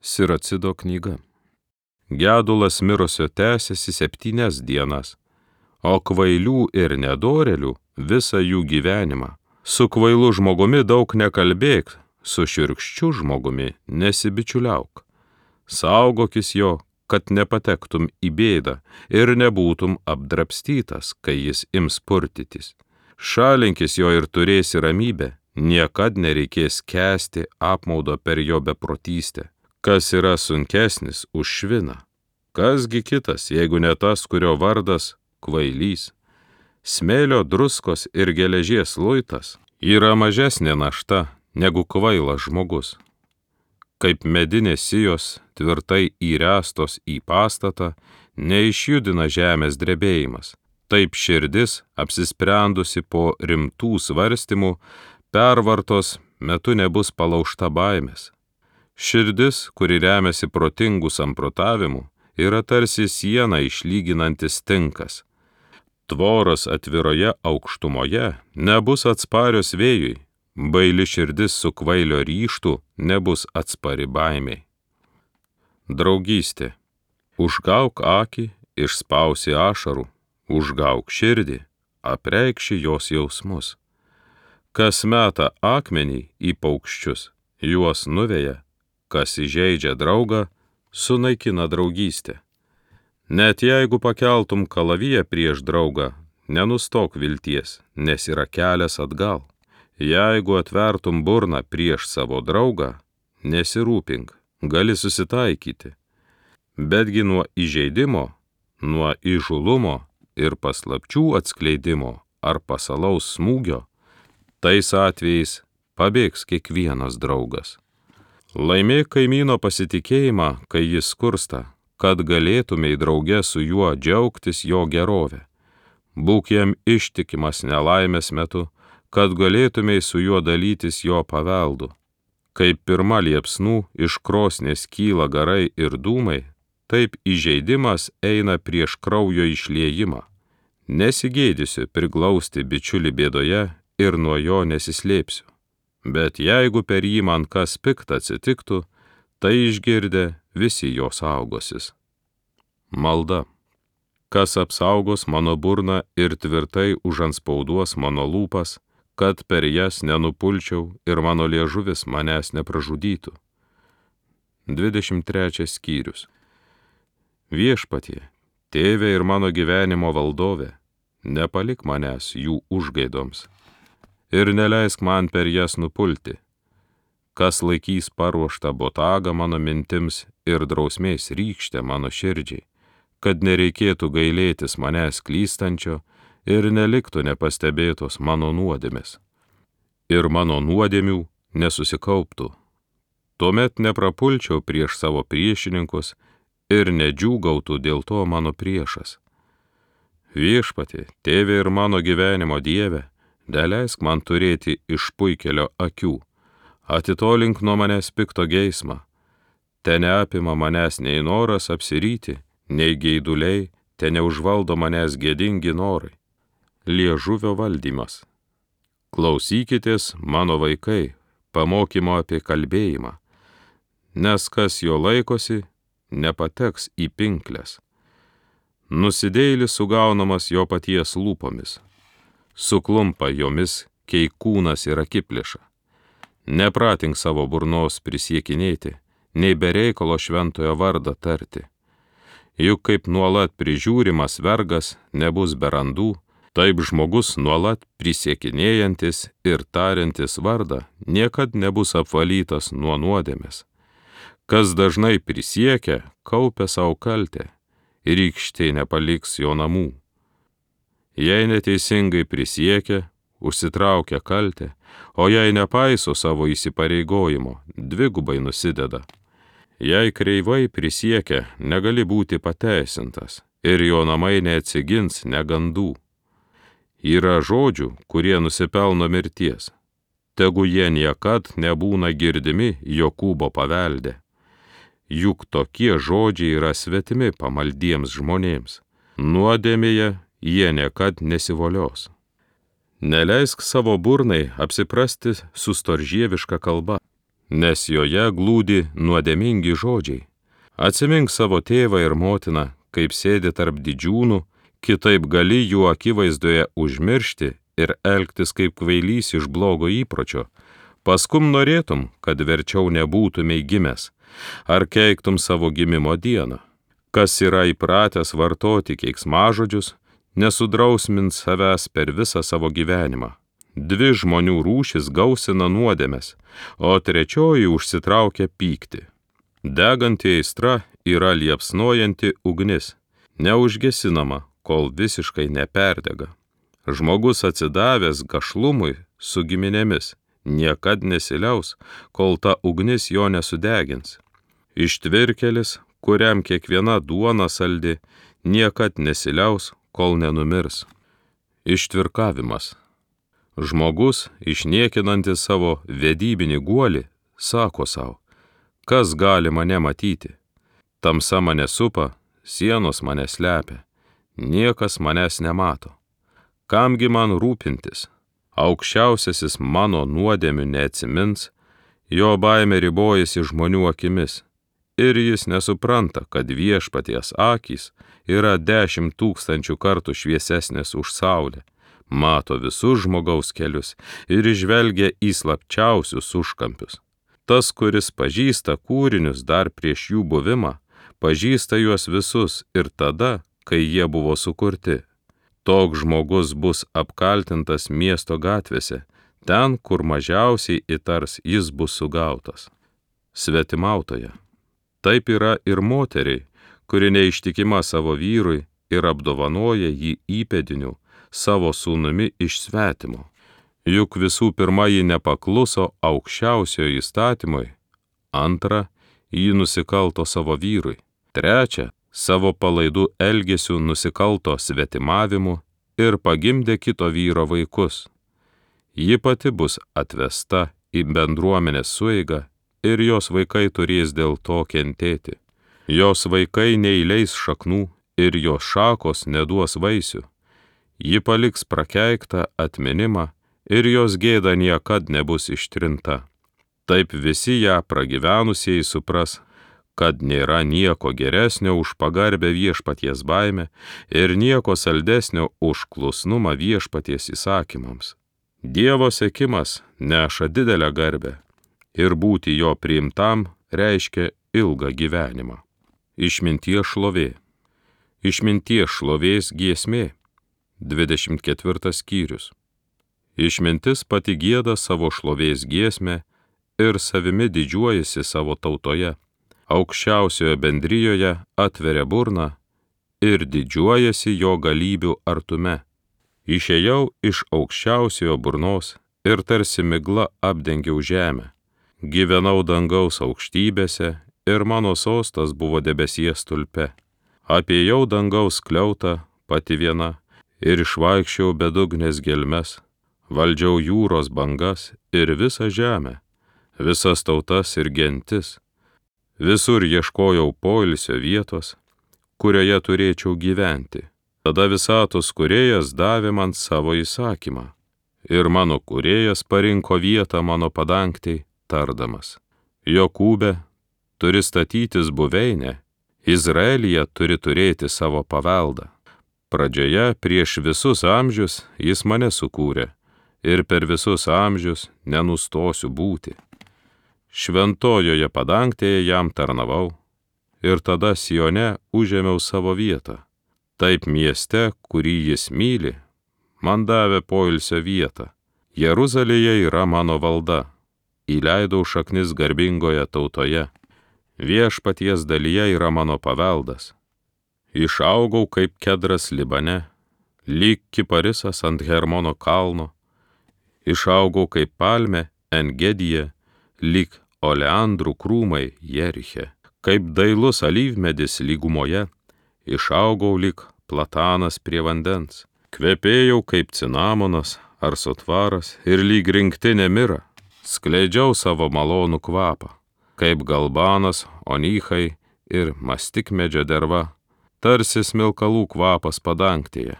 Siracido knyga. Gedulas mirusio tęsiasi 7 dienas, o kvailių ir nedorėlių visą jų gyvenimą. Su kvailu žmogumi daug nekalbėk, su šiurkščiu žmogumi nesibičiuliauk. Saugokis jo, kad nepatektum į bėdą ir nebūtum apdrabstytas, kai jis ims purtytis. Šalinkis jo ir turėsi ramybę, niekad nereikės kęsti apmaudo per jo beprotystę. Kas yra sunkesnis už šviną? Kasgi kitas, jeigu ne tas, kurio vardas kvailys? Smėlio, druskos ir geležies luitas yra mažesnė našta negu kvailas žmogus. Kaip medinės sijos tvirtai įręstos į pastatą, neišjudina žemės drebėjimas. Taip širdis, apsisprendusi po rimtų svarstymų, pervartos metu nebus palaužta baimės. Širdis, kuri remiasi protingų samprotavimų, yra tarsi siena išlyginantis tinkas. Tvoros atviroje aukštumoje nebus atsparios vėjui, baili širdis su kvailio ryžtu nebus atspari baimiai. Draugystė. Užgauk akį, išspausi ašarų, užgauk širdį, apreikši jos jausmus. Kas meta akmenį į paukščius, juos nuveja, kas įžeidžia draugą, sunaikina draugystę. Net jeigu pakeltum kalaviją prieš draugą, nenustok vilties, nes yra kelias atgal. Jeigu atvertum burną prieš savo draugą, nesirūpink, gali susitaikyti. Betgi nuo įžeidimo, nuo įžūlumo ir paslapčių atskleidimo ar pasalaus smūgio, tais atvejais pabėgs kiekvienas draugas. Laimėk kaimyno pasitikėjimą, kai jis skursta, kad galėtumei drauge su juo džiaugtis jo gerovę. Būk jam ištikimas nelaimės metu, kad galėtumei su juo dalytis jo paveldu. Kaip pirma liepsnų iš krosnies kyla garai ir dūmai, taip įžeidimas eina prieš kraujo išliejimą. Nesigėdysiu priglausti bičiulį bėdoje ir nuo jo nesislėpsiu. Bet jeigu per jį man kas pikta atsitiktų, tai išgirdę visi jo saugosis. Malda. Kas apsaugos mano burną ir tvirtai užantspauduos mano lūpas, kad per jas nenupulčiau ir mano liežuvis manęs nepražudytų. 23 skyrius. Viešpatie, tėve ir mano gyvenimo valdove, nepalik manęs jų užgaidoms ir neleisk man per jas nupulti. Kas laikys paruoštą botagą mano mintims ir drausmės rykštę mano širdžiai, kad nereikėtų gailėtis manęs klystančio ir neliktų nepastebėtos mano nuodėmės. Ir mano nuodėmių nesusikauptų. Tuomet neprapulčiau prieš savo priešininkus ir nedžiūgautų dėl to mano priešas. Viešpatie, tėve ir mano gyvenimo dieve, neleisk man turėti išpuikelio akių, atitolink nuo manęs pikto geismą, te neapima manęs nei noras apsiryti, nei geiduliai, te neužvaldo manęs gėdingi norai. Liežuvio valdymas. Klausykitės, mano vaikai, pamokymo apie kalbėjimą, nes kas jo laikosi, nepateks į pinkles. Nusidėjėlis sugaunamas jo paties lūpomis. Suklumpa jomis keikūnas ir akiplėša. Nepratink savo burnos prisiekinėti, nei be reikalo šventojo vardą tarti. Juk kaip nuolat prižiūrimas vergas nebus be randų, taip žmogus nuolat prisiekinėjantis ir tariantis vardą niekad nebus apvalytas nuo nuodėmės. Kas dažnai prisiekia, kaupia savo kaltę, ir rykštė nepaliks jo namų. Jei neteisingai prisiekia, užsitraukia kaltę, o jei nepaiso savo įsipareigojimo, dvigubai nusideda. Jei kreivai prisiekia, negali būti pateisintas, ir jo namai neatsigins negandų. Yra žodžių, kurie nusipelno mirties. Tegu jie niekad nebūna girdimi Jokūbo pavelde. Juk tokie žodžiai yra svetimi pamaldiems žmonėms. Nuodėmėje jie niekad nesivolios. Neleisk savo burnai apsiprasti su storžieviška kalba. nes joje glūdi nuodėmingi žodžiai. Atsimink savo tėvą ir motiną, kaip sėdi tarp didžiūnų, kitaip gali jų akivaizdoje užmiršti ir elgtis kaip kvailys iš blogo įpročio. Paskum norėtum, kad verčiau nebūtumei gimęs, ar keiktum savo gimimo dieną. Kas yra įpratęs vartoti keiksmažodžius, nesudrausmins savęs per visą savo gyvenimą. 2 žmonių rūšis gausina nuodėmes, o 3 užsitraukia pyktį. Deganti aistra yra liepsnojanti ugnis, neužgesinama, kol visiškai neperdega. Žmogus atsidavęs gašlumui su giminėmis niekad nesiliaus, kol ta ugnis jo nesudegins. Ištvirkelis, kuriam kiekviena duona saldi, niekad nesiliaus, kol nenumirs. Ištvirkavimas. Žmogus, išniekinantis savo vedybinį guolį, sako savo, kas gali mane matyti? Tamsa mane supa, sienos mane slepia, niekas manęs nemato. Kamgi man rūpintis? Aukščiausiasis mano nuodėmių neatsimins, jo baimė ribojasi žmonių akimis, ir jis nesupranta, kad Viešpaties akys yra 10 000 kartų šviesesnės už saulę, mato visus žmogaus kelius ir žvelgia į slapčiausius užkampius. Tas, kuris pažįsta kūrinius dar prieš jų buvimą, pažįsta juos visus ir tada, kai jie buvo sukurti. Toks žmogus bus apkaltintas miesto gatvėse, ten, kur mažiausiai įtars, jis bus sugautas. Svetimautoja. Taip yra ir moteriai, kuri neištikima savo vyrui ir apdovanoja jį įpėdiniu savo sūnumi iš svetimo. Juk visų pirma ji nepakluso aukščiausiojo įstatymui, 2 ji nusikalto savo vyrui, 3 savo palaidų elgesių nusikalto svetimavimu ir pagimdė kito vyro vaikus. Ji pati bus atvesta į bendruomenės sueigą ir jos vaikai turės dėl to kentėti. Jos vaikai neįleis šaknų ir jos šakos neduos vaisių. Ji paliks prakeiktą atminimą ir jos gėda niekad nebus ištrinta. Taip visi ją pragyvenusieji supras, kad nėra nieko geresnio už pagarbę Viešpaties baimę ir nieko saldesnio už klusnumą Viešpaties įsakymams. Dievo sekimas neša didelę garbę ir būti jo priimtam reiškia ilgą gyvenimą. Išminties šlovė. Išminties šlovės giesmė. 24 skyrius. Išmintis pati gieda savo šlovės giesmę ir savimi didžiuojasi savo tautoje. Aukščiausioje bendrijoje atveria burną ir didžiuojasi jo galybių artume. Išėjau iš aukščiausiojo burnos ir tarsi migla apdengiau žemę. Gyvenau dangaus aukštybėse ir mano sostas buvo debesies stulpe. Apėjau dangaus skliautą pati viena ir išvaikščiau bedugnės gelmes. Valdžiau jūros bangas ir visą žemę, visas tautas ir gentis. Visur ieškojau poilsio vietos, kurioje turėčiau gyventi. Tada visatos kūrėjas davė man savo įsakymą. Ir mano kūrėjas parinko vietą mano padangtei, tardamas. Jokūbe turi statytis buveinę, Izraelyje turi turėti savo paveldą. Pradžioje prieš visus amžius jis mane sukūrė ir per visus amžius nenustosiu būti. Šventojoje padangtėje jam tarnavau ir tada Sione užėmiau savo vietą. Taip mieste, kurį jis myli, man davė poilsio vietą. Jeruzalėje yra mano valda. Įleidau šaknis garbingoje tautoje. Viešpaties dalyje yra mano paveldas. Išaugau kaip kedras Libane, lyg kiparisas ant Hermono kalno. Išaugau kaip palmė Engedije, lyg oleandrų krūmai Jeriche. Kaip dailus alyvmedis lygumoje, išaugau lyg platanas prie vandens. Kvepėjau kaip cinamonas ar sotvaras ir lyg rinktinė mira. Skleidžiau savo malonų kvapą, kaip galbanas, onychai ir mastikmedžio derva, tarsi smilkalų kvapas padangtėje.